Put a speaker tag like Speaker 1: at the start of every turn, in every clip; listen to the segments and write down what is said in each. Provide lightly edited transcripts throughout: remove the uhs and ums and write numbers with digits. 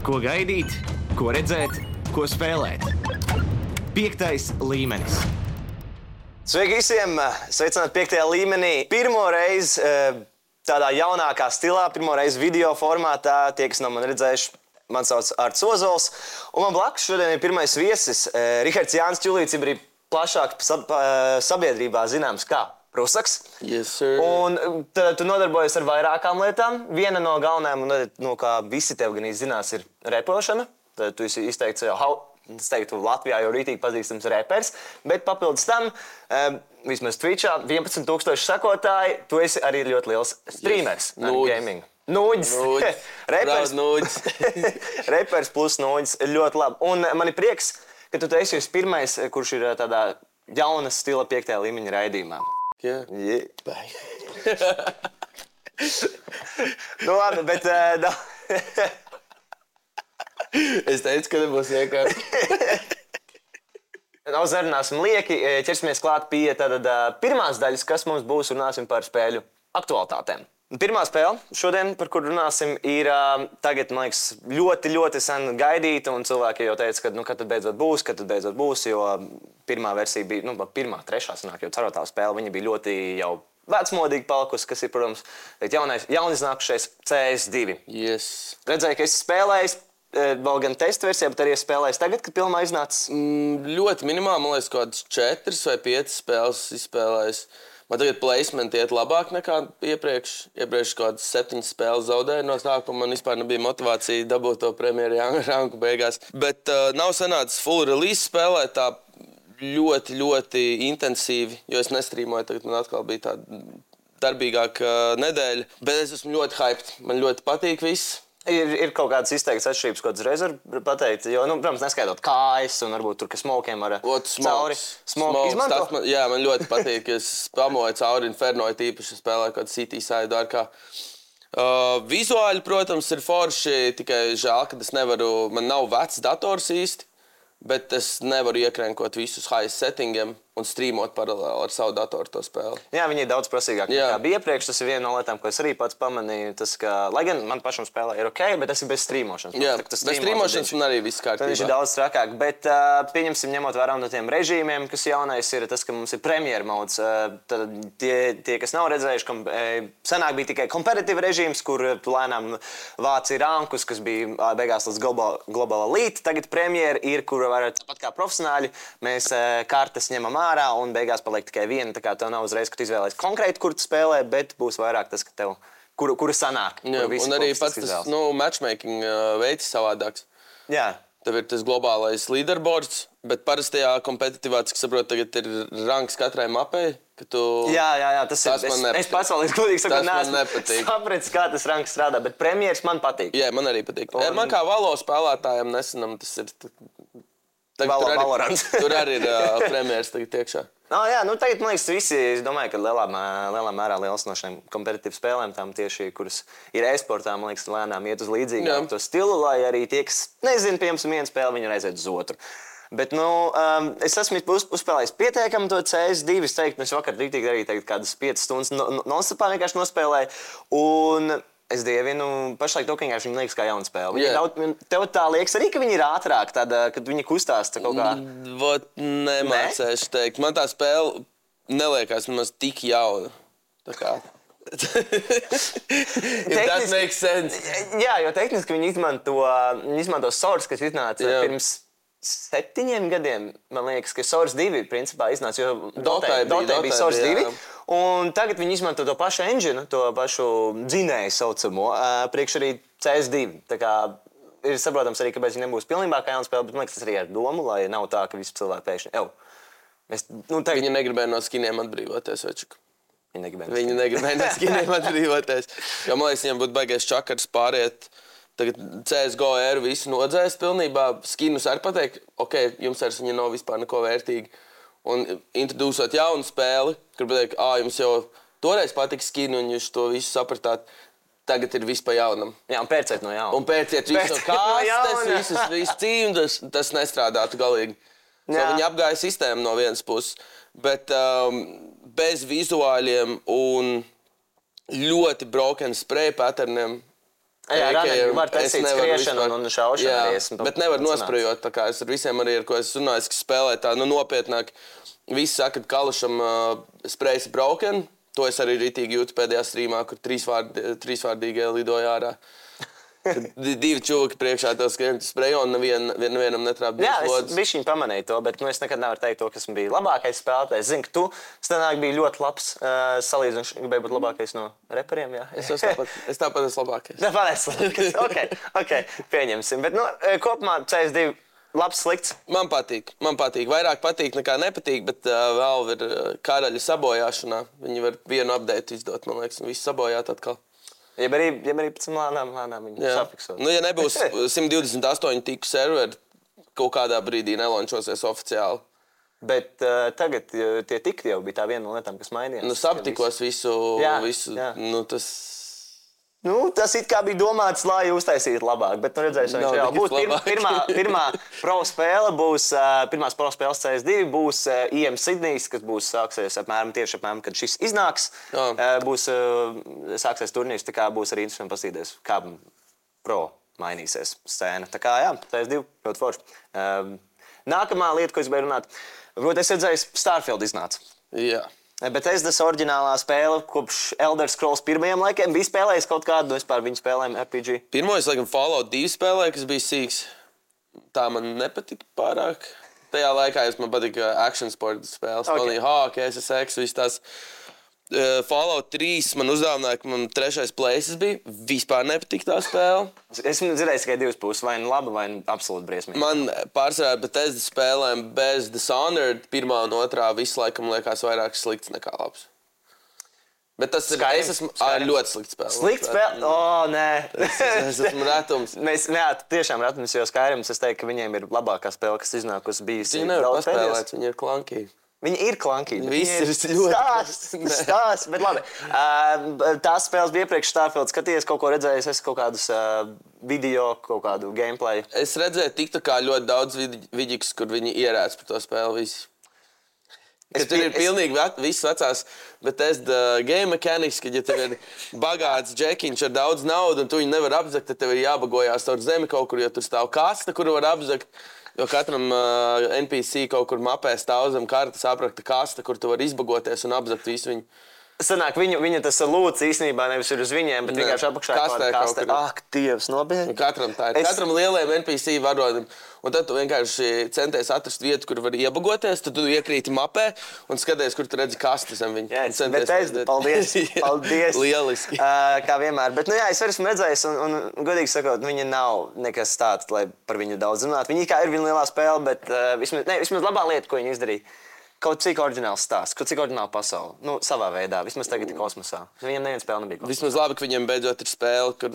Speaker 1: Ko gaidīt, ko redzēt, ko spēlēt. 5. līmenis.
Speaker 2: Sveiki visiem! Sveicināti 5. līmenī. Pirmo reizi tādā jaunākā stilā, pirmo reizi video formātā. Tie, kas nav man redzējuši, man sauc Arts Ozols. Un man blakus šodien ir pirmais viesis Rihards Jānis Čulīts, ir arī plašāk sabiedrībā zināms kā Prusaks.
Speaker 3: Yes, sir.
Speaker 2: Un tu nodarbojies ar vairākām lietām. Viena no galvenajām, no kā visi tev gan zinās, ir repošana. Tad tu esi izteikts jau, es teiktu, Latvijā jau rītīgi pazīstams repers. Bet papildus tam, vismaz Twitchā, 11,000 sekotāji, tu esi arī ļoti liels streamers. Gaming. Nūģis.
Speaker 3: Nūģis.
Speaker 2: Repers plus nūģis. Ļoti labi. Un man ir prieks, ka tu esi pirmais, kurš ir tādā jauna stila 5. līmeņa raidījumā.
Speaker 3: Yeah.
Speaker 2: Nu labi, bet...
Speaker 3: Es teicu, ka nebūs vienkārši.
Speaker 2: Nav zarunāsim lieki, ķersimies klāt pie pirmās daļas, kas mums būs, runāsim par spēļu aktualitātēm. Pirmā spēle šodien, par kur runāsim, ir tagad, man liekas, ļoti sen gaidīta, un cilvēki jau teica, ka kad tad beidzot būs, jo pirmā versija bija, pirmā, trešā sanāk, jo cerotā spēle, viņa bija ļoti jau vecmodīgi palikusi, kas ir, protams, jauniznākušais CS2.
Speaker 3: Yes.
Speaker 2: Redzēju, ka esi spēlējis, vēl gan testa versijā, bet arī spēlējis tagad, kad pilnā iznācis?
Speaker 3: Ļoti minimāli, man liekas, kādas 4 vai 5 spēles izspēlējis. Man tagad placement iet labāk nekā iepriekš. Iepriekš kādas 7 spēles zaudēju no sākuma. Man vispār nebija motivācija dabūt to premjeru ranku beigās. Bet nav sanācis full release spēlēt tā ļoti intensīvi, jo es nestrīmoju. Tagad man atkal bija tāda darbīgāka nedēļa. Bet es esmu ļoti hyped. Man ļoti patīk viss.
Speaker 2: Ir kaut kādas izteiktas atšķirības, ko tu reiz vari pateikt, jo, protams, neskaidot kājas un varbūt tur, ka smokiem var cauri. Smoke izmanto?
Speaker 3: Jā, man ļoti patīk, ka es spamoju cauri Inferno, īpaši spēlēju kādu City side dārkā. Vizuāli, protams, ir forši, tikai žēl, ka man nav vecs dators īsti, bet es nevaru iekrenkot visus high settingiem un streamot paralēli ar savu datoru to spēli.
Speaker 2: Jā, viņi ir daudz prasīgāk nekā bija iepriekš. Tas ir viena no lietām, ko es arī pats pamanīju. Tas, ka, lai gan man pašam spēlē ir ok, bet tas ir bez streamošanas.
Speaker 3: Jā, bez streamošanas man arī viss kārtībā.
Speaker 2: Viņš ir daudz trakāk, bet pieņemsim ņemot vērā no tiem režīmiem, kas jaunais ir tas, ka mums ir premjeru mods. Tie, kas nav redzējuši, senāk bija tikai competitive režīms, kur tu lēnām vāci rankus, kas bija beigās līdz global elite. Tagad premjeru ir, kur var tāpat kā profesionāļi, mēs kartes ņemam ārā un beigās paliek tikai viena. Tā kā tev nav uzreiz, ka tu izvēlējies konkrēti, kur tu spēlē, bet būs vairāk tas, ka tev, kura sanāk.
Speaker 3: Jā, un arī pats tas matchmaking veids savādāks.
Speaker 2: Jā.
Speaker 3: Tev ir tas globālais leaderboards, bet parastajā kompetitīvā, cik saprotu, tagad ir ranks katrai mapei.
Speaker 2: Jā, tas ir. Es pats vēl godīgi sakot, neesmu sapratis, kā tas ranks strādā, bet premjeras man patīk.
Speaker 3: Jā, man arī patīk. Man kā Valo spēlētājiem nesenam tas ir... Tur arī ir premjeras tagad iekšā.
Speaker 2: Jā, tagad, man liekas, visi, es domāju, ka lielā mērā liels no šiem kompetitīvām spēlēm, tām tieši, kuras ir e-sportā, man liekas, lēnām iet uz līdzīgāku to stilu, lai arī tie, kas nezina, piemēram, vienu spēli, viņi aiziet uz otru. Bet, es esmu uzspēlējis pietiekami to CS2, es teiktu, es vakar rītīgi arī kādas 5 stundas non-stopā vienkārši nospēlēju, un es dievinu pašlaik to, ka viņi liekas kā jauna spēle. Tev tā liekas arī, ka viņi ir ātrāk, kad viņi kustās kaut kā?
Speaker 3: Nemācēšu teikt. Man tā spēle neliekās nemaz tik jauna. Tā kā... That makes sense.
Speaker 2: Jā, jo tehniski viņi izmanto Source, kas iznāca pirms 7 gadiem. Man liekas, ka Source 2 principā iznāca, jo Dotā bija Source 2. Un tagad viņi izmanto to pašu engine, to pašu dzinēju saucamo, priekš arī CS2. Tā kā ir saprotams arī, kāpēc viņi nebūs pilnībā kā jauna spēle, bet man liekas, tas arī ar domu, lai nav tā, ka visi cilvēki pēkšņi...
Speaker 3: Viņi negribēja no skiniem atbrīvoties, večuk.
Speaker 2: Viņi
Speaker 3: negribēja no skiniem atbrīvoties. Jo, man liekas, viņam būtu baigais čakars pāriet. Tagad CSGO eru visu nodzēst pilnībā. Skinus arī pateikt, ok, jums vairs viņa nav vispār neko vērtīgi. Un introdūsot jaunu spēli, kur pateikt, jums jau toreiz patika skinu un jūs to visu sapratāt, tagad ir viss pa jaunam.
Speaker 2: Jā, un pērciet no jauna.
Speaker 3: Un pērciet visu no kastes, visu cīmu, tas nestrādātu galīgi. Viņi apgāja sistēmu no vienas puses, bet bez vizuāļiem un ļoti broken spray patterniem
Speaker 2: Jā, var taisīt skriešanu un šaušanu.
Speaker 3: Bet nevar nosprejot, tā kā es ar visiem arī, ar ko es runāju, kas spēlē tā, nopietnāk. Visi saka, ka Kalašam sprejs broken. To es arī ritīgi jūtu pēdējā streamā, kur trīsvārdīgi lidoja ārā. Divi čūki priekšā tev skrien spreju un nevienam netrāp
Speaker 2: divas lodas. Jā, es bišķiņ pamanīju to, bet es nekad nevaru teikt to, kas bija labākais spēlētājs. Zinu, ka tu stenāk biji ļoti labs, salīdzinoši gribēji būt labākais no reperiem, jā?
Speaker 3: Es tāpat esmu labākais.
Speaker 2: Tāpat esmu labākais, ok, pieņemsim. Bet, kopumā CS2 labs, slikts?
Speaker 3: Man patīk. Vairāk patīk nekā nepatīk, bet vēl ir karaļa sabojāšanā. Viņi var vienu update izdot, man liekas, un visu sabojāt atkal.
Speaker 2: Ja arī pēc lēnām viņu safiksot.
Speaker 3: Ja nebūs 128 tiku serveri, kaut kādā brīdī nelončosies oficiāli.
Speaker 2: Bet tagad tie tikti jau bija tā viena no lietām, kas mainījās.
Speaker 3: Saptikos visu.
Speaker 2: Jā. Tas it kā bija domāts, lai uztaisītu labāk, bet redzēsim, viņš jau būs pirmā pro spēle, pirmās pro spēles CS2 būs IM Sydneys, kas būs sāksies apmēram, kad šis iznāks, sāksies turnīrs, tā kā būs arī interesanti pasīties, kā pro mainīsies scēna. Tā kā jā, CS2 ļoti forši. Nākamā lieta, ko es gribēju runāt, varbūt es redzēju, Starfield iznāca.
Speaker 3: Jā.
Speaker 2: Bet es oriģinālā spēle kopš Elder Scrolls pirmajiem laikiem biju spēlējis kaut kādu vispār viņu spēlējumu RPG.
Speaker 3: Pirmo es laikam Fallout 2 spēlēju, kas bija sīks. Tā man nepatika pārāk. Tajā laikā man patika action sport spēles. Spēlēju hockey, SSX, viss tās. Fallout 3 man uzdāvināja, ka man 3. places bija. Vispār nepatika tā spēle.
Speaker 2: Esmu dzirdējis tikai divas puses, vai nu laba, vai nu absolūti briesmīgi.
Speaker 3: Man pārsvarā Bethesda spēlēm bez Dishonored 1. un 2. visu laikam liekas vairāk slikts nekā labs. Bet tas ir ļoti slikts spēle.
Speaker 2: Slikts spēle? Nē.
Speaker 3: Es esmu retums.
Speaker 2: Tiešām retums, jo Skyrim es teiktu, ka viņiem ir labākā spēle, kas iznākusi bijusi.
Speaker 3: Viņi nevar paspēlēt, viņi ir klankīgi.
Speaker 2: Viņi ir klankīgi.
Speaker 3: Viss ir ļoti
Speaker 2: stāsts, bet labi. Tās spēles bija iepriekš Starfield. Skaties, kaut ko redzējis, es kaut kādus video, kaut kādu gameplay.
Speaker 3: Es redzēju TikTokā ļoti daudz vidīgus, kur viņi ierēc par to spēli visi. Tur ir pilnīgi viss vecās, bet es game mechanics, kad ja tev ir bagāts džekiņš ar daudz naudu un tu viņu nevar apzakt, tad tev ir jābagojās caur zemi kaut kur, jo tur stāv kasta, kuru var apzakt. Jo katram NPC kaut kur mapē stāv zem kartas aprakta kasta, kur tu vari izbagoties un apzakt visu viņu.
Speaker 2: Sanāk, viņa tas lūdz īstenībā nevis ir uz viņiem, bet vienkārši apakšā kastē. Ak, Dievs, nobiedri.
Speaker 3: Katram tā ir. Katram lielajam NPC varonim. Un tad tu vienkārši centies atrast vietu, kur var iebagoties, tad tu iekrīti mapē un skaties, kur tu redzi kastu zem viņu.
Speaker 2: Jā, bet paldies.
Speaker 3: Lieliski.
Speaker 2: Kā vienmēr. Bet, es esmu redzējis un godīgi sakot, viņa nav nekas tāds, lai par viņu daudz runāt. Viņa kā ir viena lielā spēle, bet vismaz labā lieta, ko viņa izdarīja. Kaut cik oriģināls stāsts, kaut cik oriģināla pasaule. Savā veidā, vismaz tagad ir kosmosā. Viņiem neviena spēle nebija kosmosā.
Speaker 3: Vismaz labi, ka viņiem beidzot ir spēle, kur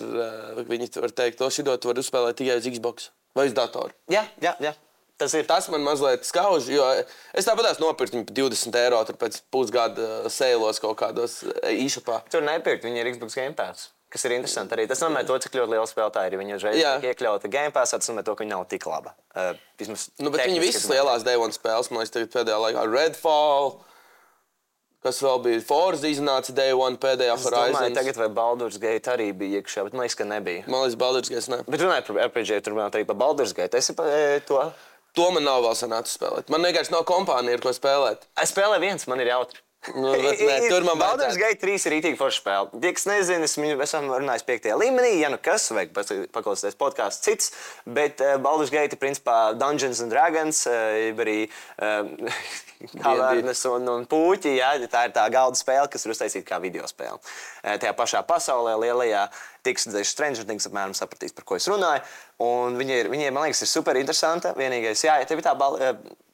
Speaker 3: viņi var teikt, to šidot var uzspēlēt tikai uz Xbox vai uz datoru.
Speaker 2: Jā. Tas ir.
Speaker 3: Tas man mazliet skauž, jo es tāpatās nopirkt viņu par 20 eiro pēc pusgada sēlos kaut kādos e-shopā.
Speaker 2: Tur nepirkt, viņi ir Xbox Game Pass. Kas ir interesanti arī. Tas nozīmē to, cik ļoti liela spēlētāja ir. Viņa uzreiz iekļauta Game Passā, tas nozīmē to, ka viņa nav tik laba.
Speaker 3: Bet viņi visas lielās Day One spēles, man liekas, tagad pēdējā laikā Redfall, kas vēl bija Forza iznāca Day One pēdējā Horizons.
Speaker 2: Es domāju, tagad vai Baldur's Gate arī bija iekšā, bet man liekas, ka nebija.
Speaker 3: Man liekas, Baldur's Gate ne.
Speaker 2: Bet runāju par RPG, tur runāt arī par Baldur's Gate. Esi to?
Speaker 3: To man nav vēl sanācis spēlēt. Man vienkārši nav kompānija, ar ko spēlēt.
Speaker 2: Es spēlēju viens, man ir jautri.
Speaker 3: Tur man
Speaker 2: Baldur's Gate 3 ir rītīgi forša spēle. Tie, kas nezina, esam runājis 5. līmenī, ja nu kas, vajag paklausīties podcasts cits, bet Baldur's Gate ir principā Dungeons and Dragons, arī kavernes un puķi, jā, tā ir tā galda spēle, kas ir uztaisīta kā video spēle. Tajā pašā pasaulē lielajā tiks redzējuši Stranger Things, apmēram sapratīs, par ko es runāju, un viņiem, man liekas, ir super interesanta. Vienīgais, jā, tev ir tā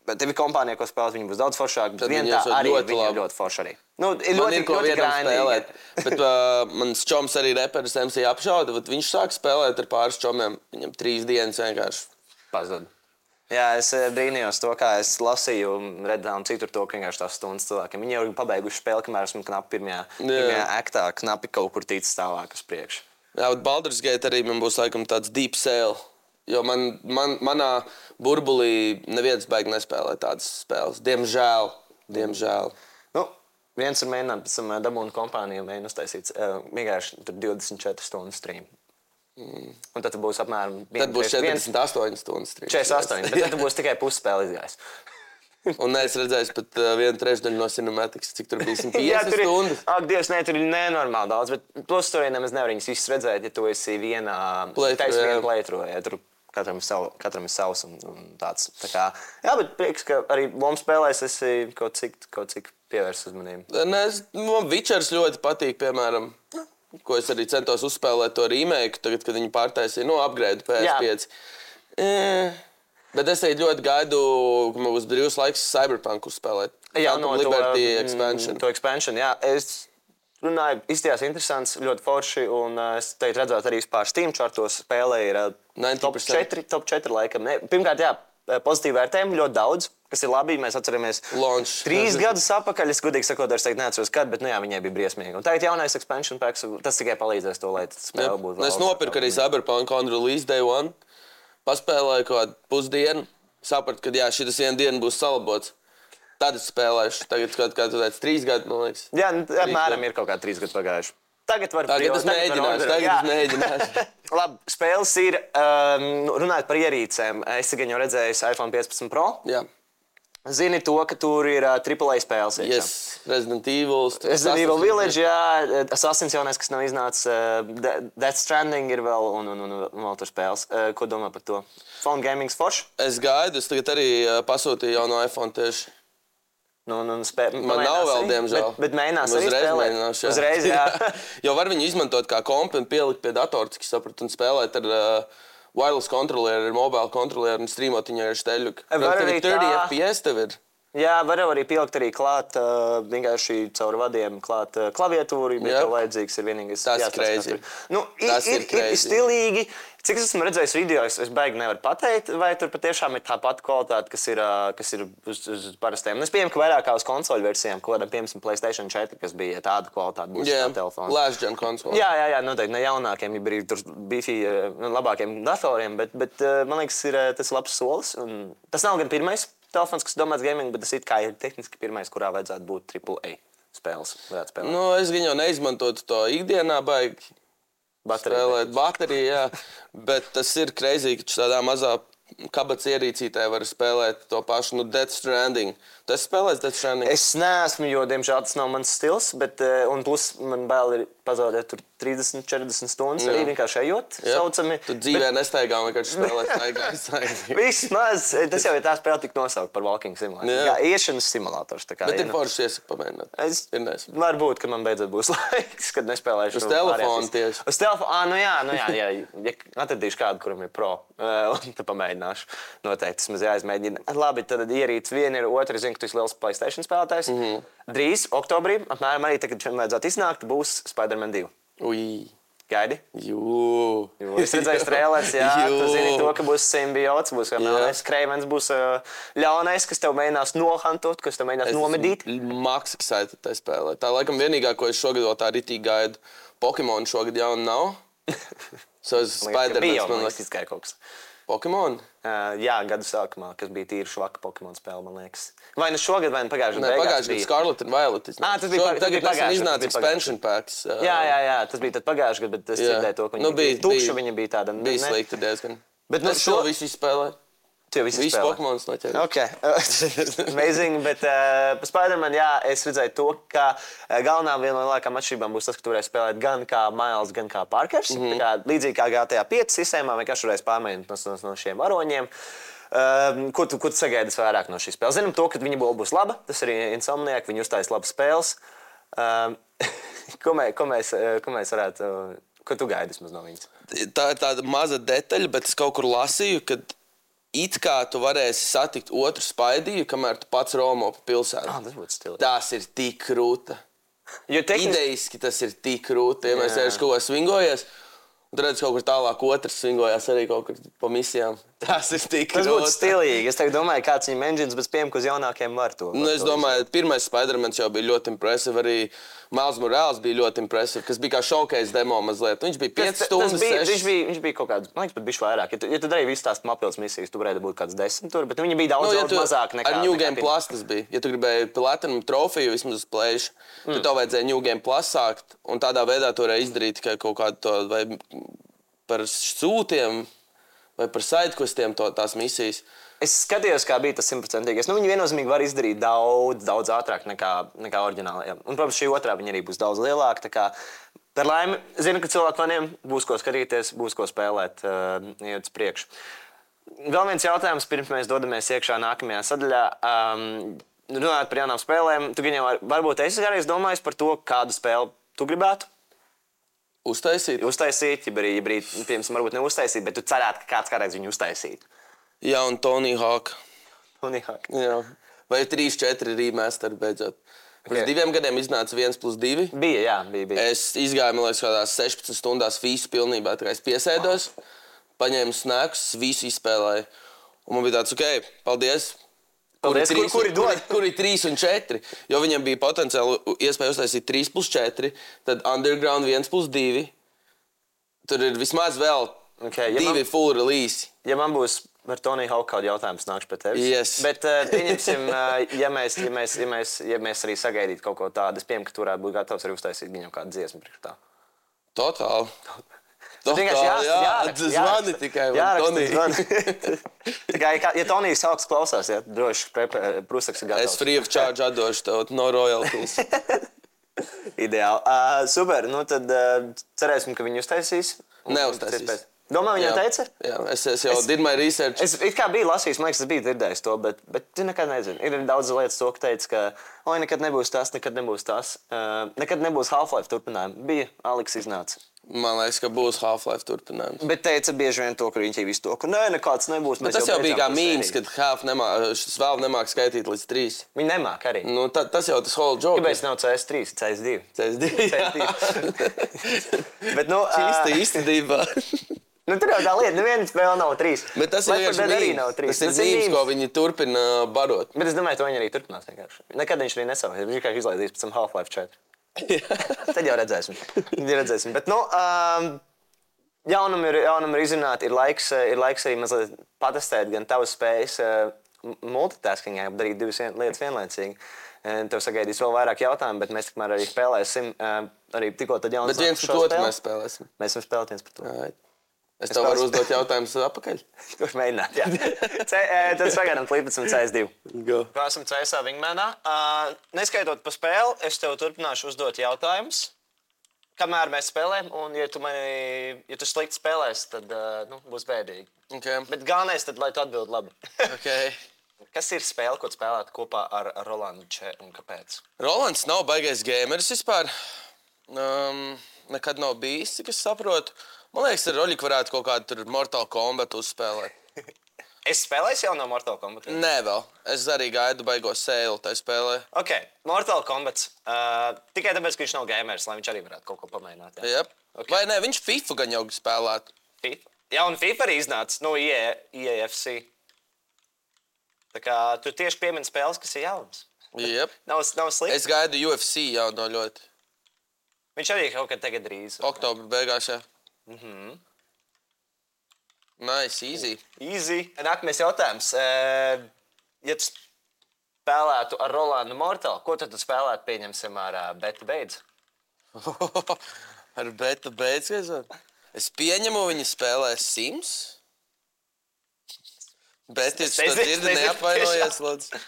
Speaker 2: tev ir kompānija, ko spēlēt, viņi būs daudz foršāk, bet vien tā arī viņiem ļoti forši arī. Ir ļoti grānīgi.
Speaker 3: Bet mans čoms arī reperis MC apšauda, viņš sāk spēlēt ar pāris čomiem, viņam 3 dienas vienkārši
Speaker 2: pazud. Jā, es brīnījos to, kā es lasīju un redzēju citur to, ka vienkārši tās stundas cilvēkiem. Viņi jau ir pabeiguši spēli, kamēr esmu knapi pirmajā aktā, knapi kaut kur tīcis tālāk uz priekšu.
Speaker 3: Jā, bet Baldur's Gate arī man būs laikam tāds deep sale. Jo manā burbulī neviens baigi nespēlē tādas spēles. Diemžēl.
Speaker 2: Viens ir mēģināt pēc tam dabūnu kompāniju mēģināt uztaisīt vienkārši 24 stundu stream. Un tad būs apmēram...
Speaker 3: Tad būs 48 stundas.
Speaker 2: 48, bet tad būs tikai pusspēle izgājis.
Speaker 3: Un es redzēju pat 1/3 no cinematikas, cik tur bija 150 stundas.
Speaker 2: Ak, Dievs, ne, tur ir nenormāli daudz, bet plus tur nemaz nevar viņus visus redzēt, ja tu esi vienā playthrough. Ja, tur katram ir savs un tāds. Tā kā, jā, bet prieks, ka arī lomu spēlēs esi kaut cik pievērst uzmanību.
Speaker 3: Man Witchers ļoti patīk, piemēram, ko es arī centos uzspēlēt to remake, tagad, kad viņi pārtaisīja, upgrade PS5. Bet es ļoti gaidu, ka man būs brīvs laiks Cyberpunk uzspēlēt.
Speaker 2: Jā, no
Speaker 3: Liberty Expansion.
Speaker 2: To Expansion, jā. Es runāju, izstījās interesants, ļoti forši, un es teikt redzētu arī pār Steam chartos spēlē ir top 4 laikam. Pirmkārt, jā, pozitīvi vērtējumi ļoti daudz, kas ir labi. Mēs atceramies 3 gadus atpakaļ, es godīgi sakot, es neatceros, kad, bet jā, viņai bija briesmīgi. Un tagad jaunais Expansion packs, tas tikai palīdzēs to, lai spēle būtu vēl.
Speaker 3: Es nopirku arī Cyberpunk on release day 1. Paspēlēju kaut kādu pusdienu, sapratu, ka jā, šitas viena diena būs salabots. Tad es spēlēšu. Tagad kā tu teici, 3 gadi, man liekas.
Speaker 2: Jā, apmēram ir kaut kā 3 gadi pagājuši. Tagad
Speaker 3: es mēģināšu.
Speaker 2: Labi, spēles ir, runājot par ierīcēm. Es gan jau redzēju iPhone 15 Pro.
Speaker 3: Jā.
Speaker 2: Zini to, ka tur ir AAA spēles.
Speaker 3: Yes, Resident Evil
Speaker 2: Village, jā, Assassin's jaunais, kas nav iznācis, Death Stranding ir vēl un vēl tur spēles. Ko domā par to? Phone gaming's forši?
Speaker 3: Es gaidu, es tagad arī pasūtīju jau no iPhone tieši.
Speaker 2: Man
Speaker 3: nav vēl, diemžēl.
Speaker 2: Bet mēģinās arī spēlēt. Uzreiz, jā.
Speaker 3: Jo var viņu izmantot kā kompi un pielikt pie datora, cik sapratu, un spēlēt ar... wireless kontrolieri, mobile kontrolieri un streamot viņu ar šteļu. Tev ir 30 FPS tev ir.
Speaker 2: Jā, var arī pielikt arī klāt, vienkārši caur vadiem klāt klaviatūru, bet tev vajadzīgs ir vienīgais.
Speaker 3: Tas ir crazy.
Speaker 2: Tas ir stilīgi. Cik es esmu redzējis video, es baigi nevaru pateikt, vai tur patiešām ir tā pati kvalitāte, kas ir uz parastiem. Es pieņemu, ka vairāk kā uz konsoļu versijām, kaut kādam, piemēram, PlayStation 4, kas bija tāda kvalitāte būs tā telefona.
Speaker 3: Last gen konsoli.
Speaker 2: Jā, noteikti ne jaunākiem, ja ir tur bifī labākiem datoriem, bet man liekas, tas ir labs solis. Tas nav gan pirmais telefons, kas domāts gaming, bet tas ir tehniski pirmais, kurā vajadzētu būt AAA spēles.
Speaker 3: Es gan jau neizmantotu to ikdienā baigi. Spēlēt bateriju, jā. Bet tas ir crazy, ka tādā mazā kabatas ierīcītē var spēlēt to pašu, Death Stranding. Tu esi spēlējis Death Stranding?
Speaker 2: Es neesmu, jo, diemžēl, tas nav mans stils, bet, un plus man bail ir pazaudēt tur 30-40 stundas arī vienkārši ejot, saucami.
Speaker 3: Tu dzīvē nestaigā un vienkārši spēlēt staigā.
Speaker 2: Vismaz, tas jau ir tā spēle tik nosaukt par walking simulātoru. Jā, iešanas simulators.
Speaker 3: Bet ir forši iesaka pamēģināt.
Speaker 2: Varbūt, ka man beidzot būs laiks, kad nespēlēšu.
Speaker 3: Uz telefonu tieši.
Speaker 2: Uz telefonu, jā, ja atradīšu kādu, kuram ir pro, un tad pamēģināšu. Noteikti, tas maz jāizmēģina. Labi, tad ierīts viena ir otra, zinu, ka tu esi liels PlayStation spēlētājs. Drīz, oktobrī, apmēram arī tagad vajadzētu iznākt, būs Spider-Man 2.
Speaker 3: Ui.
Speaker 2: Gaidi?
Speaker 3: Jū.
Speaker 2: Es redzēju trēlers, jā. Tu zini to, ka būs simbiots, būs melnais Kreivens, būs ļaunais, kas tev mēģinās nohantot, kas tev mēģinās nomedīt.
Speaker 3: Max excited tai spēlē. Tā laikam vienīgā, ko es šogad vēl tā ritīgi gaidu. Pokemon šogad jaunu nav.
Speaker 2: Spider-Man, man liekas, izgāja kaut kas.
Speaker 3: Pokemon?
Speaker 2: Jā, gadu sākumā, kas bija tīri švaka Pokemon spēle, man liekas. Vai nu šogad, vai nu pagājušajā
Speaker 3: gadā? Pagājušajā gadā Scarlet and Violet.
Speaker 2: Tas bija
Speaker 3: tagad iznāca expansion packs.
Speaker 2: Jā, tas bija tad pagājušajā gadā, bet es dzirdēju to, ka viņa bija tukša, viņa bija tāda.
Speaker 3: Bija slikta diezgan.
Speaker 2: Bet
Speaker 3: es šo visu izspēlēju. Visi Pokemons noķēri.
Speaker 2: Ok, amazing, bet par Spider-Man, jā, es redzēju to, ka galvenā viena no lielākām atšķirībām būs tas, ka tu varēsi spēlēt gan kā Miles, gan kā Parkers. Līdzīgi kā GTA 5 sistēmā, vienkārši varēsi pārmaiņot no šiem varoņiem. Ko tu sagaidi vairāk no šīs spēles? Zinām to, ka viņa būs laba, tas arī Insomniac, viņi uztais labas spēles. Ko mēs varētu, ko tu gaidi vismaz no viņas?
Speaker 3: Tā ir tāda maza detaļa, bet es kaut kur lasīju, ka it kā tu varēsi satikt otru Spaidiju, kamēr tu pats romo pa pilsētu.
Speaker 2: Tas būtu stilīgi.
Speaker 3: Tas ir tik krūta. Idejiski tas ir tik krūta. Ja mēs ejam kaut ko svingojies, un tu redz kaut kur tālāk otrs svingojās arī kaut kur pa misijām. Tas ir tik krūta.
Speaker 2: Tas būtu stilīgi. Es tagad domāju, kāds viņam engines, bet pieņem, ka uz jaunākiem var to.
Speaker 3: Es domāju, pirmais Spider-Mans jau bija ļoti impressive, arī Miles Morales bija ļoti impressive, kas bija kā showcase demo mazliet. Viņš bija 5 stundas, 6.
Speaker 2: Viņš bija kaut kāds, man liekas, pat bišķi vairāk. Ja tu darīji visu tās papildus misijas, tu varēji būt kāds 10 tur, bet viņi bija daudz mazāk nekā.
Speaker 3: Ar New Game Plus tas bija. Ja tu gribēji Platinum trofiju vismaz uz plēšu, tad tev vajadzēja New Game Plus sākt, un tādā veidā tu varēji izdarīt tikai kaut kādu to vai par sūtiem vai par sidequestiem tās misijas?
Speaker 2: Es skatījos, kā bija tas 100%. Viņi viennozīmīgi var izdarīt daudz ātrāk nekā oriģinālajā. Un, protams, šī otrā viņa arī būs daudz lielāka. Par laimi, zinu, ka cilvēkiem būs ko skatīties, būs ko spēlēt, iet uz priekšu. Vēl viens jautājums, pirms mēs dodamies iekšā nākamajā sadaļā. Runājot par jaunām spēlēm, tu gan jau varbūt esi kādreiz domājis par to, kādu spēli tu gribētu?
Speaker 3: Uztaisīt,
Speaker 2: ja piemēram, varbūt neuztaisīt, bet tu cerētu, ka kāds kādreiz viņu uztaisītu.
Speaker 3: Jā, un Tony Hawk.
Speaker 2: Jā.
Speaker 3: Vai 3-4 remaster beidzot. Pirms 2 gadiem iznāca 1+2.
Speaker 2: Bija.
Speaker 3: Es izgāju, man liekas, kādās 16 stundās visu pilnībā. Tā kā es piesēdos, paņēmu snacks, visu izspēlēju. Un man bija tāds, ok, paldies. Kuri 3 un 4? Jo viņam bija potenciāli iespēja uztaisīt 3+4, tad Underground 1+2. Tur ir vismaz vēl 2 full release.
Speaker 2: Ja man būs par Tony Hawk kādu jautājumu, nākšu pie tevis.
Speaker 3: Yes.
Speaker 2: Bet pieņemsim, ja mēs arī sagaidītu kaut ko tādu, es pieņemu, ka tu varētu būt gatavs arī uztaisīt viņam kādu dziesmu priekš tā.
Speaker 3: Totāli.
Speaker 2: Zvani
Speaker 3: tikai
Speaker 2: Tony. Ja Tonijs Hawks klausās, droši Prusaks ir gatavs.
Speaker 3: Es free of charge atdošu tev, no royalties.
Speaker 2: Ideāli. Super, tad cerēsim, ka viņi uztaisīs.
Speaker 3: Neuztaisīs.
Speaker 2: Domā, viņa teica?
Speaker 3: Jā, es jau did my research.
Speaker 2: Es kā biju lasījis, man liekas, es biju dzirdējis to, bet tu nekad nezini. Ir daudz lietas, ka teica, ka nekad nebūs tas, nekad nebūs Half-Life turpinājumi. Bija, Aleks iznāca.
Speaker 3: Man liekas, ka būs Half-Life turpinājums.
Speaker 2: Bet teica bieži vien to, ka viņš jau visu to, ka nekāds nebūs.
Speaker 3: Tas jau bija kā mīms, kad Valve nemāk skaitīt līdz 3.
Speaker 2: Viņi nemāk arī.
Speaker 3: Tas jau tas whole joke.
Speaker 2: Kāpēc nav CS3, CS2? Bet,
Speaker 3: īstenībā.
Speaker 2: Tur jau tā lieta, neviena spēle nav 3.
Speaker 3: Bet tas ir mīms. Tas ir mīms, ko viņi turpina barot.
Speaker 2: Bet es domāju, to viņi arī turpinās vienkārši. Nekad viņš arī nesavās. Viņš vienkārši izlaidīs pēc tam Half-Life 4. Tad jau redzēsim. Bet, jaunumi ir izrunāti, ir laiks arī mazliet patestēt gan tavas spējas multitaskingā, darīt 2 lietas vienlaicīgi. Tev sagaidīs vēl vairāk jautājumu, bet mēs tikmēr arī spēlēsim. Arī tikko tad jaunas
Speaker 3: bet viens par to mēs spēlēsim.
Speaker 2: Mēs varam spēlēt viens par to.
Speaker 3: Es tev varu uzdot jautājumus atpakaļ?
Speaker 2: Kurš mēģināt, jā. Tad sagaidām klīpēsim CS2.
Speaker 3: Go.
Speaker 2: Esam CS Wingmanā. Neskaitot pa spēli, es tev turpināšu uzdot jautājumus, kamēr mēs spēlējam, un ja tu slikti spēlēsi, tad būs bēdīgi.
Speaker 3: Okay.
Speaker 2: Bet galvenais tad, lai tu atbild labi.
Speaker 3: Okay.
Speaker 2: Kas ir spēle, ko spēlēt kopā ar Rolandu Če un kāpēc?
Speaker 3: Rolands nav baigais gameris vispār. Nekad nav bijis, cik es saprotu. Man liekas, ar Roļiku varētu kaut kādu tur Mortal Kombat uzspēlēt.
Speaker 2: Es spēlēju jau no Mortal Kombat?
Speaker 3: Nē, vēl. Es arī gaidu baigo sēlu tai spēlē.
Speaker 2: Ok, Mortal Kombat. Tikai tāpēc, ka viņš nav gamers, lai viņš arī varētu kaut ko pamēģināt.
Speaker 3: Jā. Yep. Okay. Vai ne, viņš FIFA gan jau spēlētu.
Speaker 2: FIFA? Jā, un FIFA arī iznāca no EAFC. Tā kā tu tieši piemini spēles, kas ir jaunas.
Speaker 3: Yep.
Speaker 2: Nav slikti.
Speaker 3: Es gaidu UFC jau no ļoti.
Speaker 2: Viņš arī kaut kad tagad drīz.
Speaker 3: Oktobra beigās, jā. Nice, easy.
Speaker 2: Nākamais jautājums. Ja tu spēlētu ar Rolandu Mortal, ko tad tu spēlētu, pieņemsim, ar Beta Beidz?
Speaker 3: Ar Beta Beidz? Es pieņemu, viņi spēlē Sims. Betis, tu dzirdi, neapvainojies, lūdzu.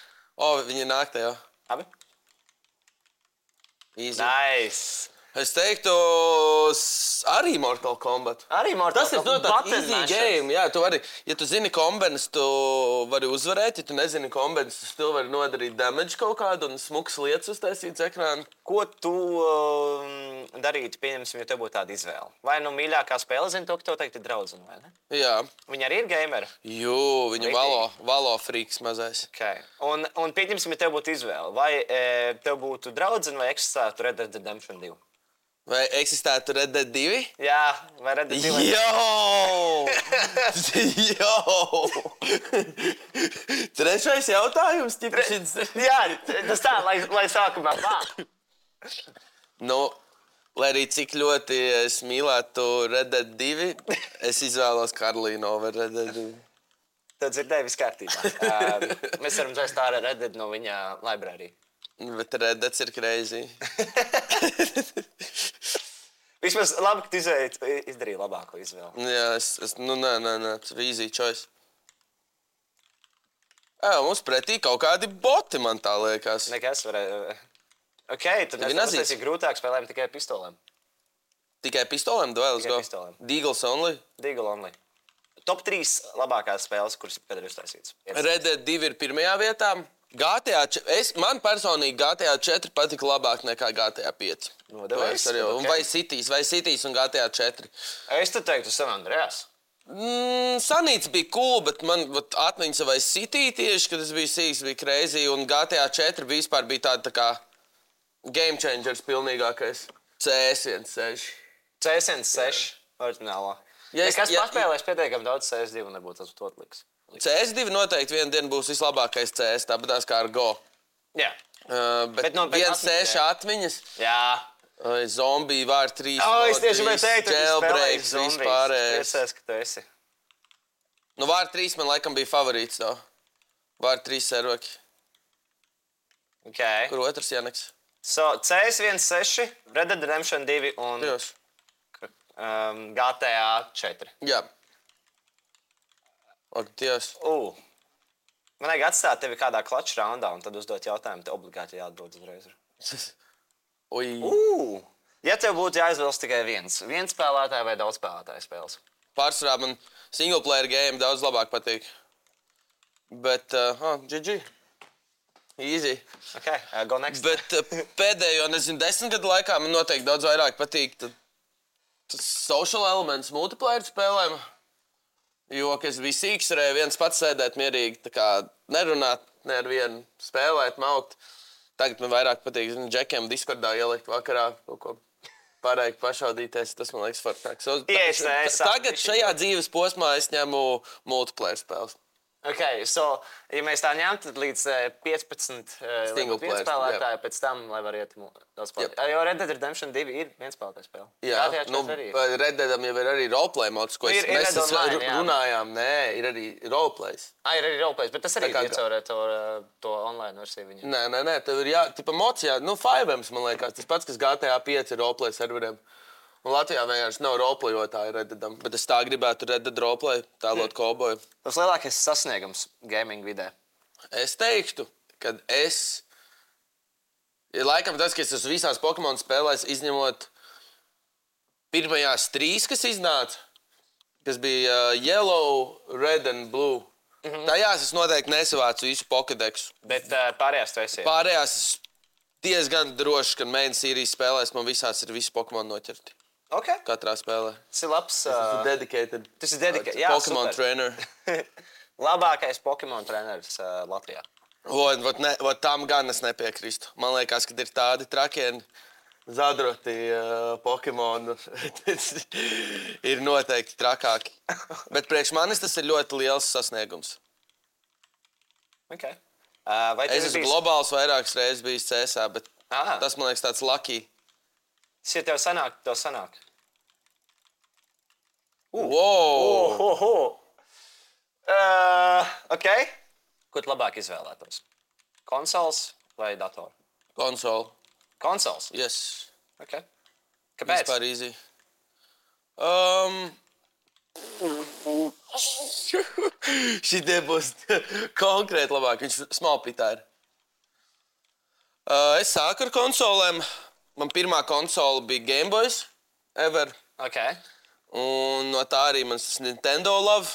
Speaker 3: Viņi nāk tajā.
Speaker 2: Abi?
Speaker 3: Easy.
Speaker 2: Nice.
Speaker 3: Es teiktu, arī Mortal Kombat.
Speaker 2: Arī Mortal Kombat.
Speaker 3: Tas ir easy game. Jā, tu vari, ja tu zini kombenes, tu vari uzvarēt. Ja tu nezini kombenes, tu still vari nodarīt damage kaut kādu un smuks lietas uztaisīts ekrānu.
Speaker 2: Ko tu darītu, pieņemsim, ja tev būtu tāda izvēle? Vai mīļākā spēle zina to, ka tev teikt ir draudzene, vai ne?
Speaker 3: Jā.
Speaker 2: Viņa arī ir gameri?
Speaker 3: Jū, viņa valo freaks mazais.
Speaker 2: Okay. Un pieņemsim, ja tev būtu izvēle. Vai tev būtu draudzene vai eksistētu Red Dead Redemption 2?
Speaker 3: Vai eksistētu Red Dead 2?
Speaker 2: Jā, vai Red Dead 2?
Speaker 3: Trešais jautājums?
Speaker 2: Jā, tas tā, lai sākumā tā.
Speaker 3: Lai arī cik ļoti es mīlētu Red Dead 2, es izvēlos Karlīnu over Red Dead 2.
Speaker 2: Tev dzirdēja viss kārtībā. Mēs varam dzēst ārā Red Dead no viņa library.
Speaker 3: Bet Red Dead ir crazy.
Speaker 2: Vismaz labi, ka tu izdarīji labāko izvēli.
Speaker 3: Jā, nē, tas ir easy choice. Mums pretī kaut kādi boti, man tā liekas.
Speaker 2: Nekas varēja. Ok, tad tas ir grūtāk spēlējam tikai pistolēm.
Speaker 3: Tikai pistolēm duels
Speaker 2: Tikai
Speaker 3: go?
Speaker 2: pistolēm.
Speaker 3: Deagles only?
Speaker 2: Deagle only. Top 3 labākās spēles, kuras kad ir uztaisītas.
Speaker 3: Red Dead 2 ir pirmajā vietā. Man personīgi GTA 4 patika labāk nekā GTA 5.
Speaker 2: Nodevēs?
Speaker 3: Okay. Vai Cities un GTA 4.
Speaker 2: Es te teiktu San Andreas.
Speaker 3: Sanīts bija cool, bet man atmiņas vai City tieši, kad es biju sīks, bija crazy, un GTA 4 vispār bija tāda tā kā game changers pilnīgākais. CS16.
Speaker 2: CS16 oriģinālā. Kas paspēlēs pietiekami daudz CS2 un nebūtu tas otliks.
Speaker 3: CS2 noteikti vienu dienu būs vislabākais CS, tāpatās kā ar Go.
Speaker 2: Jā.
Speaker 3: Bet 1.6 atmiņas.
Speaker 2: Jā.
Speaker 3: Zombiji, War 3,
Speaker 2: es tieši vēl teiktu,
Speaker 3: Jailbreaks, vispārējais.
Speaker 2: Priecājos, ka tu esi.
Speaker 3: War 3 man laikam bija favorīts, to. War 3 servaki.
Speaker 2: Ok.
Speaker 3: Kur otrs Janeks?
Speaker 2: CS16, Red Dead Redemption 2 un GTA 4.
Speaker 3: Jā. Dievs.
Speaker 2: Man vajag atstāt tevi kādā clutch raundā un tad uzdot jautājumu, te obligāti jāatdod uzreiz. Ja tev būtu jāizvēlas tikai viens spēlētāja vai daudz spēlētāju spēles?
Speaker 3: Pārsvarā man single player game daudz labāk patīk. Bet, GG. Easy.
Speaker 2: Ok, go next.
Speaker 3: Bet pēdējo, 10 gadu laikā man noteikti daudz vairāk patīk tas social elements multiplayer spēlēm. Jo, kad es biju sīks, varēju viens pats sēdēt mierīgi, tā kā nerunāt, ne ar vienu spēlēt, maukt. Tagad man vairāk patīk, džekiem Discordā ielikt vakarā kaut ko pārēju pašaudīties. Tas man liekas fortāks. Tagad šajā dzīves posmā es ņemu multiplayer spēles.
Speaker 2: Ok, ja mēs tā ņemtu, tad līdz 15 spēlētāji pēc tam, lai var iet daudz spēlētāji. Jo Red Dead Redemption 2 ir vienspēlētāja spēle.
Speaker 3: Jā, Red Deadam jau ir arī roleplay mods, ko mēs runājām. Nē, ir arī roleplays.
Speaker 2: Ir arī roleplays, bet tas arī ir caur to online versiju viņam.
Speaker 3: Nē, tev ir tipa mods, Fivems, man liekas, tas pats, kas GTA 5 ir roleplay serveriem. Un Latvijā vienkārši nav roleplayotāji Red Deadam, bet es tā gribētu Red Dead roleplay, tēlot kauboju.
Speaker 2: Tas lielākais sasniegums gaming vidē?
Speaker 3: Es teiktu, ka laikam tas, ka es esmu visās Pokemon spēlēs, izņemot pirmajās 3, kas iznāca, kas bija Yellow, Red and Blue. Tajās es noteikti nesavācu visu Pokédexu.
Speaker 2: Bet pārējās tu esi?
Speaker 3: Pārējās es diezgan droši, ka main series spēlēs man visās ir visi Pokemon noķerti.
Speaker 2: Okay.
Speaker 3: Katrā spēlē.
Speaker 2: Tas ir labs.
Speaker 3: Dedicated.
Speaker 2: Tas ir dedicated. Jā,
Speaker 3: Pokemon trainer.
Speaker 2: Labākais Pokemon treneris Latvijā.
Speaker 3: Tam gan es nepiekrīstu. Man liekas, ka ir tādi trakieni zadroti Pokemon. Ir noteikti trakāki. Bet priekš manis tas ir ļoti liels sasniegums.
Speaker 2: Okay.
Speaker 3: Es esmu globāls vairākas reizes bijis CSā, bet tas man liekas tāds lucky.
Speaker 2: Ja tev sanāk.
Speaker 3: Wow!
Speaker 2: Ok. Ko tu labāk izvēlētos? Konsoles vai datoru?
Speaker 3: Konsole.
Speaker 2: Konsoles?
Speaker 3: Yes.
Speaker 2: Ok. Kāpēc?
Speaker 3: Vispār easy. Šitie būs konkrēti labāk. Viņš smallpitā ir. Es sāku ar konsolēm. Man pirmā konsole bija Game Boys ever.
Speaker 2: Ok.
Speaker 3: Un no tā arī man tas Nintendo love.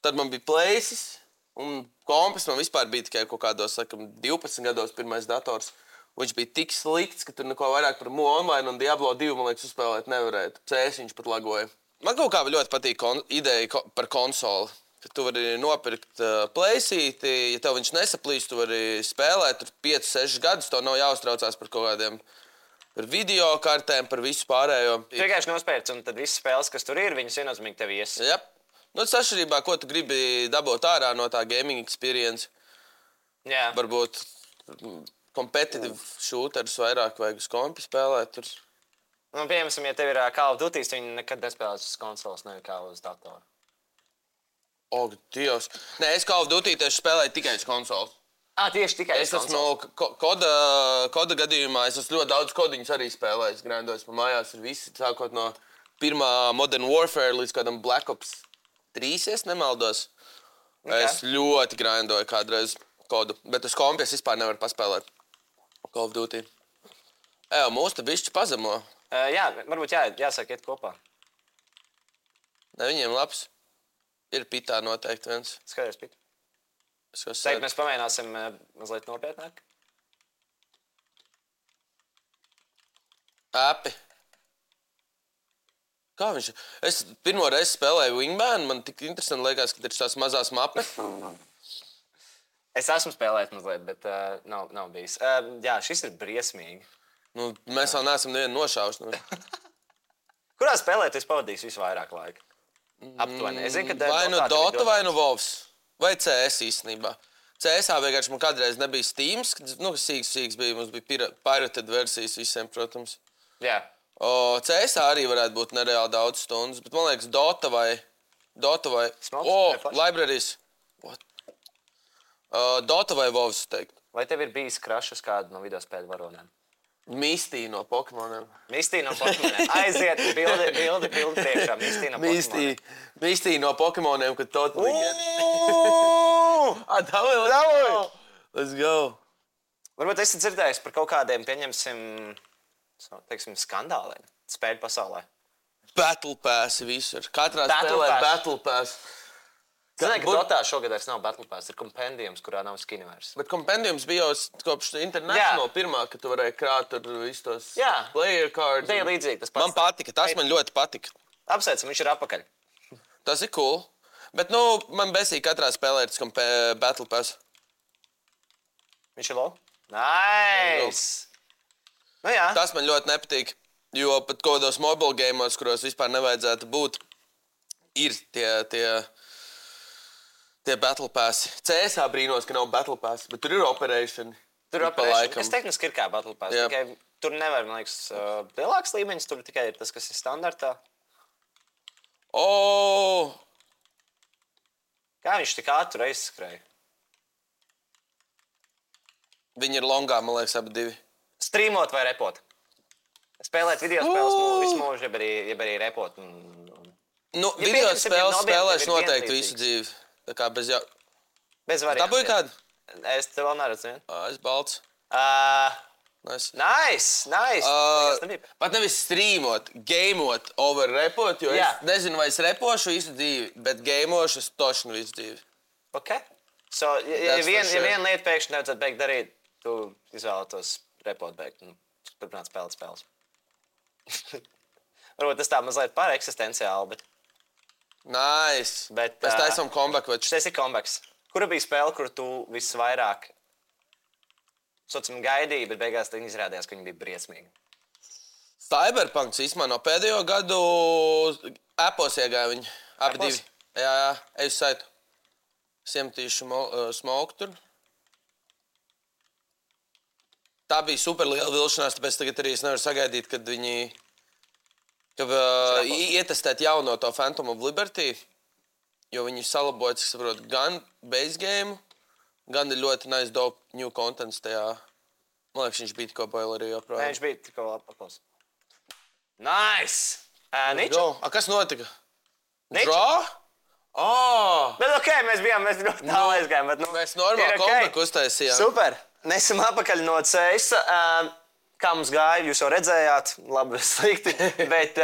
Speaker 3: Tad man bija Playsys. Un kompis man vispār bija tikai kaut kādos, 12 gados pirmais dators. Viņš bija tik slikts, ka tur neko vairāk par Mu Online un Diablo 2, man liekas, uzspēlēt nevarētu. CS viņš pat lagoja. Man kaut kā ļoti patīk ideja par konsoli. Ka tu vari nopirkt playsīti, ja tev viņš nesaplīst, tu vari spēlēt tur 5-6 gadus, tev nav jāuztraucās par kaut kādiem par video kartēm, par visu pārējo.
Speaker 2: Tu vienkārši nospērts, un tad visas spēles, kas tur ir, viņas viennozīmīgi tev ies.
Speaker 3: Jā. Tas atšķirībā, ko tu gribi dabūt ārā no tā gaming experience.
Speaker 2: Jā.
Speaker 3: Varbūt competitive shooters vairāk vajag uz kompi spēlēt. Tur.
Speaker 2: Piemēram, ja tev ir Call of Duty, viņi nekad nespēlēs uz konsoles, nevis kā uz datoru.
Speaker 3: Dievs. Nē, es Call of Duty tieši spēlēju tikai uz konsoles.
Speaker 2: Tieši tikai
Speaker 3: Es esmu koda gadījumā, es esmu ļoti daudz kodiņus arī spēlējis. Grindojos pa mājās ar visi, sākot no pirmā Modern Warfare līdz kādam Black Ops 3, es nemaldos. Okay. Es ļoti grindoju kādreiz kodu, bet uz kompi es vispār nevaru paspēlēt Call of Duty. Mūs te bišķi pazemo.
Speaker 2: Jā, varbūt jāsāk iet kopā.
Speaker 3: Ne, viņiem labs. Ir pitā noteikti viens.
Speaker 2: Skaties pit. Teikt, mēs pamēģināsim mazliet nopietnāk.
Speaker 3: Api. Kā viņš? Es pirmo reizi spēlēju Wingman, man tik interesanti liekas, ka ir tās mazās mapes.
Speaker 2: Es esmu spēlējis mazliet, bet nav bijis. Jā, šis ir briesmīgi.
Speaker 3: Nu, mēs vēl neesam nevienu nošauši. Nu.
Speaker 2: Kurā spēlē tu pavadīsi visvairāk laika? Aptuveni. Es zinu, ka
Speaker 3: vai nu Dota, vai nu Wolves. Vai CS īstenībā. CS-ā vienkārši man kādreiz nebija Steams, kas sīks bija. Mums bija pirated versijas visiem, protams.
Speaker 2: Jā.
Speaker 3: CS-ā arī varētu būt nereāli daudz stundas, bet man liekas Dota vai... Libraries. What? Dota vai Wolves, teikt.
Speaker 2: Vai tev ir bijis krašs uz kādu no videospēļu varonēm?
Speaker 3: Mistī no Pokemoniem.
Speaker 2: Mistī no Pokemoniem. Aiziet, bildi priekšā. Mistī no Pokemoniem.
Speaker 3: Mistī no Pokemoniem, kad totally get.
Speaker 2: Davai!
Speaker 3: Let's go!
Speaker 2: Varbūt esi dzirdējis par kaut kādiem, pieņemsim, teiksim, skandāliem spēļu pasaulē.
Speaker 3: Battle Pass visur. Katrā spēlē Battle Pass.
Speaker 2: Zināju, ka Dotā šogad vairs nav Battle Pass, ir Compendiums, kurā nav skini vairs.
Speaker 3: Bet Compendiums bija jau kopš International pirmā, ka tu varēji krāt tur visus tos player cards.
Speaker 2: Tā ir līdzīgi tas pats.
Speaker 3: Man patika, tas man ļoti patika.
Speaker 2: Apsveicam, viņš ir apakaļ.
Speaker 3: Tas ir cool. Bet, man besīja katrā spēlē ir tas Battle Pass.
Speaker 2: Viņš ir low? Nice! Nu jā.
Speaker 3: Tas man ļoti nepatīk, jo pat kādos mobile gameos, kuros vispār nevajadzētu būt, ir tie Battle Pass. CS-ā brīnos, ka nav Battle Pass, bet tur ir Operation.
Speaker 2: Tur ir Operation. Es tehniski ir kā Battle Pass. Tikai tur nevar, man liekas, lielāks līmeņis. Tur tikai ir tas, kas ir standartā. Kā viņš tik ātri aizskrēja?
Speaker 3: Viņi ir longā, man liekas, abi divi.
Speaker 2: Streamot vai repot? Spēlēt video spēles visu mūžu, jeb arī repot.
Speaker 3: Video spēles spēlēšu noteikti visu dzīvi. Tā kā bez
Speaker 2: variantiem.
Speaker 3: Dabūji kādu?
Speaker 2: Es te vēl neredzu vienu.
Speaker 3: Es balts.
Speaker 2: Nice.
Speaker 3: Pat nevis streamot, gameot over repot, jo es nezinu, vai es repošu visu dzīvi, bet gameošu es tošanu visu dzīvi.
Speaker 2: Ok. So, ja viena lieta pēkšņi nevajadzētu beigt darīt, tu izvēlētos repot beigt un turpināt spēlēt spēles. Varbūt tas tā mazliet par eksistenciāli, bet...
Speaker 3: Nice. Mēs taisam comeback.
Speaker 2: Šis ir comebacks. Kura bija spēle, kuru tu visvairāk gaidīji, bet beigās izrādījās, ka viņi bija briesmīgi?
Speaker 3: Cyberpunks īstenībā no pēdējo gadu Appos iegāja viņi. Abi divi. Jā, eju saitu. Siemtīšu smoke tur. Tā bija super liela vilšanās, tāpēc tagad arī es nevaru sagaidīt, kad viņi... ietestēt jauno to Phantom of Liberty, jo viņi salaboja, cik saprot, gan base game, gan ir ļoti nice dope new contents tajā. Man liekas, viņš bija tikko boilerī joprojām.
Speaker 2: Nē, viņš bija tikko apakos. Nice! Niča?
Speaker 3: Kas notika?
Speaker 2: Niča?
Speaker 3: Draw?
Speaker 2: Bet ok, mēs ļoti tālu aizgājām.
Speaker 3: Mēs normāli comeback uztaisījām.
Speaker 2: Super! Nesam apakaļ no CS. Kā mums gāja, jūs jau redzējāt, labi, slikti, bet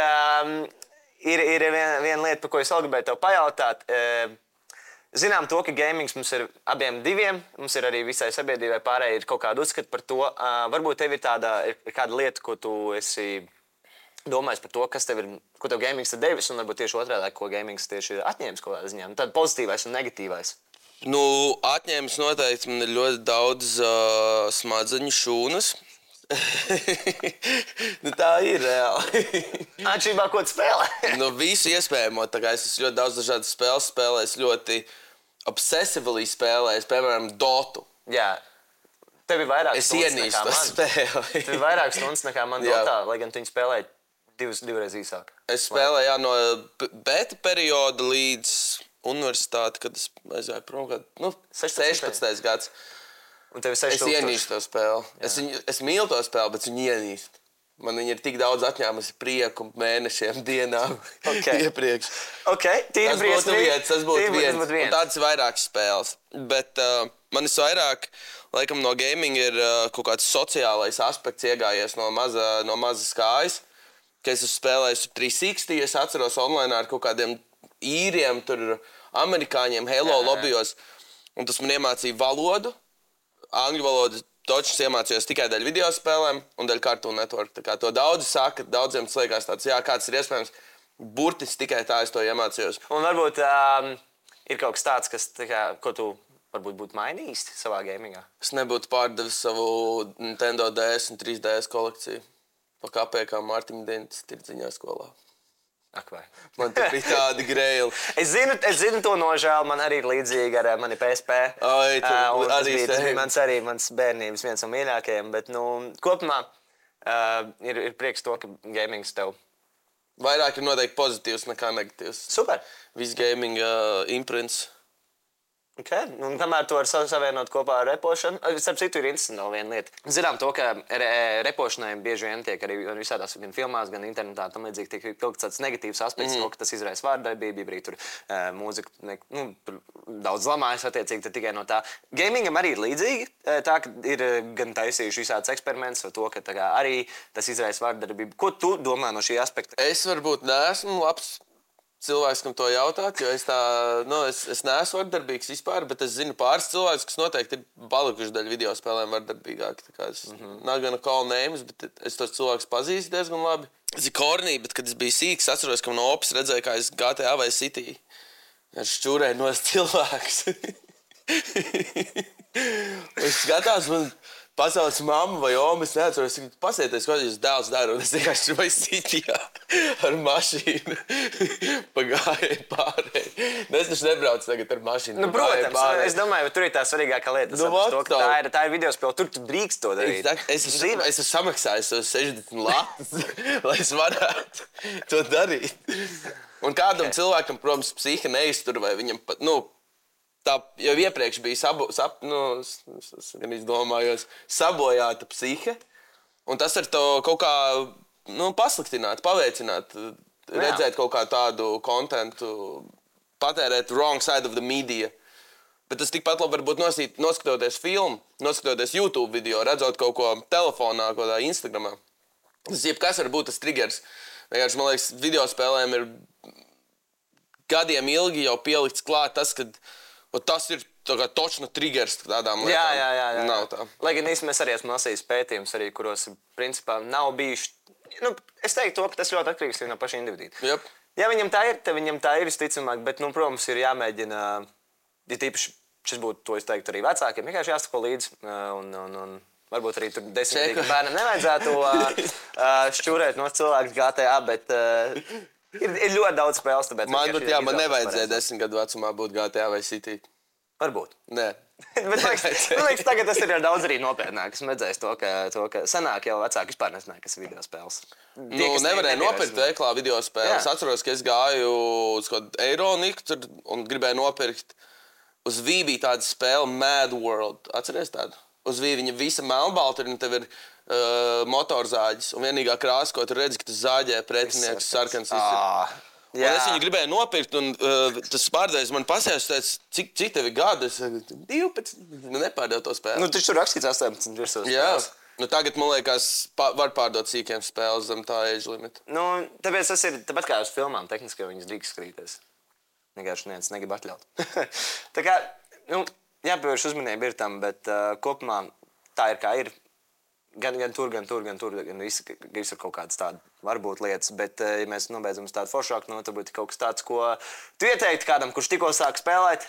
Speaker 2: ir viena lieta, par ko es vēl gribēju tev pajautāt. Zinām to, ka gamings mums ir abiem diviem, mums ir arī visai sabiedrībai pārējai ir kaut kāda uzskata par to. Varbūt tev ir kāda lieta, ko tu esi domājis par to, kas tev ir, ko tev gamings ir devis, un varbūt tieši otrādi, ko gamings tieši ir atņēmis kaut kādā ziņā. Tad pozitīvais un negatīvais.
Speaker 3: Atņēmis noteikti man ir ļoti daudz smadzeņu šūnas. Tā ir reāli.
Speaker 2: Atšķirībā, ko tu spēlē?
Speaker 3: Visu iespējamo. Es esmu ļoti daudz dažādas spēles spēlējis, ļoti obsessively spēlējis, piemēram, Dotu.
Speaker 2: Jā. Tev ir vairāk
Speaker 3: stundas nekā man.
Speaker 2: Tev ir vairāk stundas nekā man Dotā, lai gan tu viņu spēlēji divreiz īsāk.
Speaker 3: Es spēlēju no beta perioda līdz universitāti, kad es aizgāju prom, 16. gads.
Speaker 2: Un tev ir
Speaker 3: Es
Speaker 2: 6000.
Speaker 3: ienīstu to spēli. Es mīlu to spēli, bet viņu ienīstu. Man viņa ir tik daudz atņēmusi prieku mēnešiem, dienām iepriekš.
Speaker 2: Tas
Speaker 3: būtu viens. Un tādas ir vairākas spēles. Bet man vairāk, laikam, no gaming ir kaut kāds sociālais aspekts iegājies no mazas kājas. Kad es spēlēju 360, es atceros online ar kaut kādiem īriem, tur amerikāņiem, Halo lobbyos. Un tas man iemācīja valodu, angļu valodu. Točs iemācījos tikai dēļ video spēlēm un dēļ Cartoon Network. Tā kā to daudzi saka, daudziem tas liekas tāds, kāds ir iespējams. Burtiski tikai tā es to iemācījos.
Speaker 2: Un varbūt ir kaut kas tāds, ko tu varbūt būtu mainījis savā gamingā.
Speaker 3: Es nebūtu pārdevis savu Nintendo DS un 3DS kolekciju. Pa kapēkām Mārtiņa Dienas tirdziņā skolā.
Speaker 2: Ak vai.
Speaker 3: Man tur bija tādi greili.
Speaker 2: Es zinu to nožēlu, man arī ir līdzīgi ar mani PSP. Tas bija mans bērnības viens no mīļākajiem, bet kopumā ir prieks to, ka gamings tev...
Speaker 3: Vairāk ir noteikti pozitīvs nekā negatīvs.
Speaker 2: Super.
Speaker 3: Viss gaming imprints.
Speaker 2: Un kamēr to var savienot kopā ar repošanu, starp citu ir interesanti vēl viena lieta. Zinām to, ka repošanai bieži vien tiek arī visādās gan filmās, gan internetā tam līdzīgi tiek kaut kāds negatīvs aspekts, to, ka tas izraisa vārdarbību, arī tur mūzika, daudz lamājas attiecīgi tikai no tā. Gamingam arī ir līdzīgi, tā, ka ir gan taisījuši visādas eksperimentus ar to, ka arī tas izraisa vārdarbību. Ko tu domā no šī aspekta?
Speaker 3: Es varbūt neesmu labs cilvēks, kam to jautāt, jo es neesmu vardarbīgs vispār, bet es zinu pāris cilvēkus, kas noteikti ir palikuši daļa video spēlēm vardarbīgāki. Nav gana call names, bet es tos cilvēkus pazīstu diezgan labi. Es ir kornī, bet kad es biju sīks, atceros, ka no opis redzēju, kā es GTA vai City ar šķūrēju nos cilvēkus. Es skatās, man pasaules mamma vai oma, es neatceros, pasieties, ko jūs dēls dara, un es vienkārši vai Cityjā ar mašīnu pagāju pārēju. Es taču nebraucu tagad ar mašīnu.
Speaker 2: Protams, es domāju, ka tur ir tā svarīgākā lieta. Tā ir video spēle, tur tu drīkst to darīt.
Speaker 3: Es esmu samaksājis 60 latus, lai es varētu to darīt. Un kādam cilvēkam, protams, psiha neiztur, vai viņam pat, tā jau iepriekš bija sabojāta psihe, un tas ar to kaut kā pasliktināt, paveicināt, redzēt kaut kā tādu kontentu, patērēt wrong side of the media. Bet tas tikpat labi varbūt noskatoties filmu, noskatoties YouTube video, redzot kaut ko telefonā, kaut kā Instagramā. Tas jebkas var būt tas triggers. Vienkārši, man liekas, video spēlēm ir gadiem ilgi jau pielikts klāt tas, ka tas ir točna triggers tādām lietām.
Speaker 2: Jā.
Speaker 3: Nav tā.
Speaker 2: Lai gan īstenībā es arī esmu lasījis pētījumus, kuros principā nav bijuši. Es teiktu, ka tas ļoti atkarīgs no paša individu.
Speaker 3: Yep.
Speaker 2: Ja viņam tā ir, tad viņam tā ir visticamāk, bet, protams, ir jāmēģina, ja tīpaši šis būtu, to es teiktu arī vecākiem, vienkārši jāsako līdzi un varbūt arī tur 10 bērnam nevajadzētu šķūrēt no cilvēku GTA, bet ir ļoti daudz spēles, tāpēc...
Speaker 3: Man nevajadzēja 10 gadu vecumā būt GTA vai City.
Speaker 2: Varbūt.
Speaker 3: Nē.
Speaker 2: Bet man liekas, tagad tas ir daudz arī nopietnāk. Es redzēju to, ka senāk jau vecāki vispār nezināja, kas ir video spēles.
Speaker 3: Nevarēja nopirkt veiklā video spēles. Es atceros, ka es gāju uz kaut Eironiku un gribēju nopirkt. Uz Wii bija tāda spēle Mad World. Atceries tādu? Uz Wii viņa visa melnbalta un tev ir motorzāģis. Un vienīgā krāsa, ko tu redzi, ka tu zāģē pretinieks sarkans. Un es viņu gribēju nopirkt, un tas pārdevējs man pasēs, cik tev ir gadi? Es 12, nepārdevu to spēli.
Speaker 2: Taču tur rakstīts 18 virsūs.
Speaker 3: Jā, tagad, man liekas, var pārdot sīkiem spēles zem tā age limita.
Speaker 2: Tāpēc tas ir, tāpat kā uz filmām, tehniski viņas drīkst skatīties. Vienkārši neviens negrib atļaut. Tā kā, jāpievērš uzmanība ir tam, bet kopumā tā ir kā ir. Gan tur, gan viss ir kaut kādas tādas varbūt lietas, bet, ja mēs nobeidzam uz tādu foršāku, tad būtu kaut kas tāds, ko tu ieteiktu kādam, kurš tikko sāk spēlēt?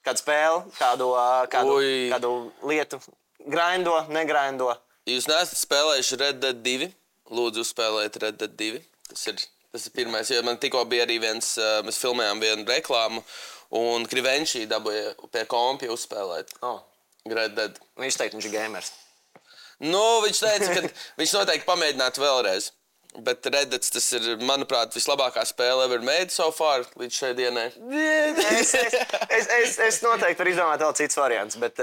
Speaker 2: Kādu spēli, kādu lietu? Grindo, negrindo?
Speaker 3: Jūs neesat spēlējuši Red Dead 2? Lūdzu, uzspēlēt Red Dead 2. Tas ir pirmais, jo man tikko bija arī mēs filmējām vienu reklāmu, un Krivenčī dabūja pie kompja uzspēlēt. Red Dead.
Speaker 2: Viņš teica, viņš ir gamers.
Speaker 3: Viņš teica, ka viņš noteikti pamēģinātu vēlreiz. Bet Reddits tas ir, manuprāt, vislabākā spēle ever made so far līdz šai dienai.
Speaker 2: Es noteikti varu izdomāt vēl citas variants, bet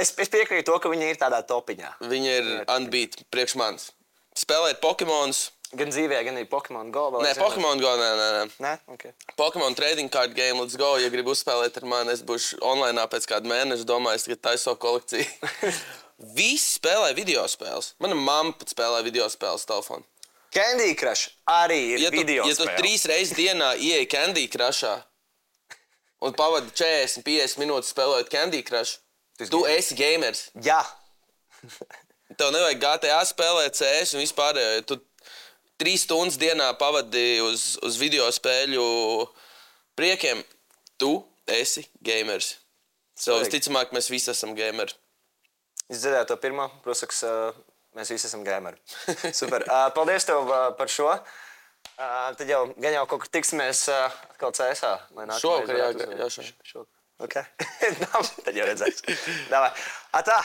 Speaker 2: es piekrītu to, ka viņi ir tādā topiņā.
Speaker 3: Viņi ir unbeat priekš manis. Spēlēt Pokemonus.
Speaker 2: Gan dzīvē, gan arī Pokemon Go.
Speaker 3: Nē, Pokemon Go, nē.
Speaker 2: Nē? Okay.
Speaker 3: Pokemon trading card game, let's go. Ja gribu uzspēlēt ar mani, es būšu online pēc kāda mēneša, domāju, ka taiso kolekciju. Visi spēlē video spēles. Mana mamma pat spēlē video spēles telefonu.
Speaker 2: Candy Crush arī ir video
Speaker 3: spēle. Ja tu 3 reizes dienā ieej Candy Crushā un pavadi 40-50 minūtes spēlējot Candy Crush, tu esi gamers.
Speaker 2: Jā.
Speaker 3: Tev nevajag GTA spēlēt, CS un vispārējo. Ja tu 3 stundas dienā pavadi uz video spēļu priekiem, tu esi gamers. Visticamāk, mēs visi esam gameri.
Speaker 2: Es dzirdēju to pirmo, protams, mēs visi esam gameri. Super. Paldies tev par šo. Tad jau gan jau kaut kur tiksimies atkal CS-ā.
Speaker 3: Šovakar, jā.
Speaker 2: Ok. Tad jau redzēs. Davai. Atā!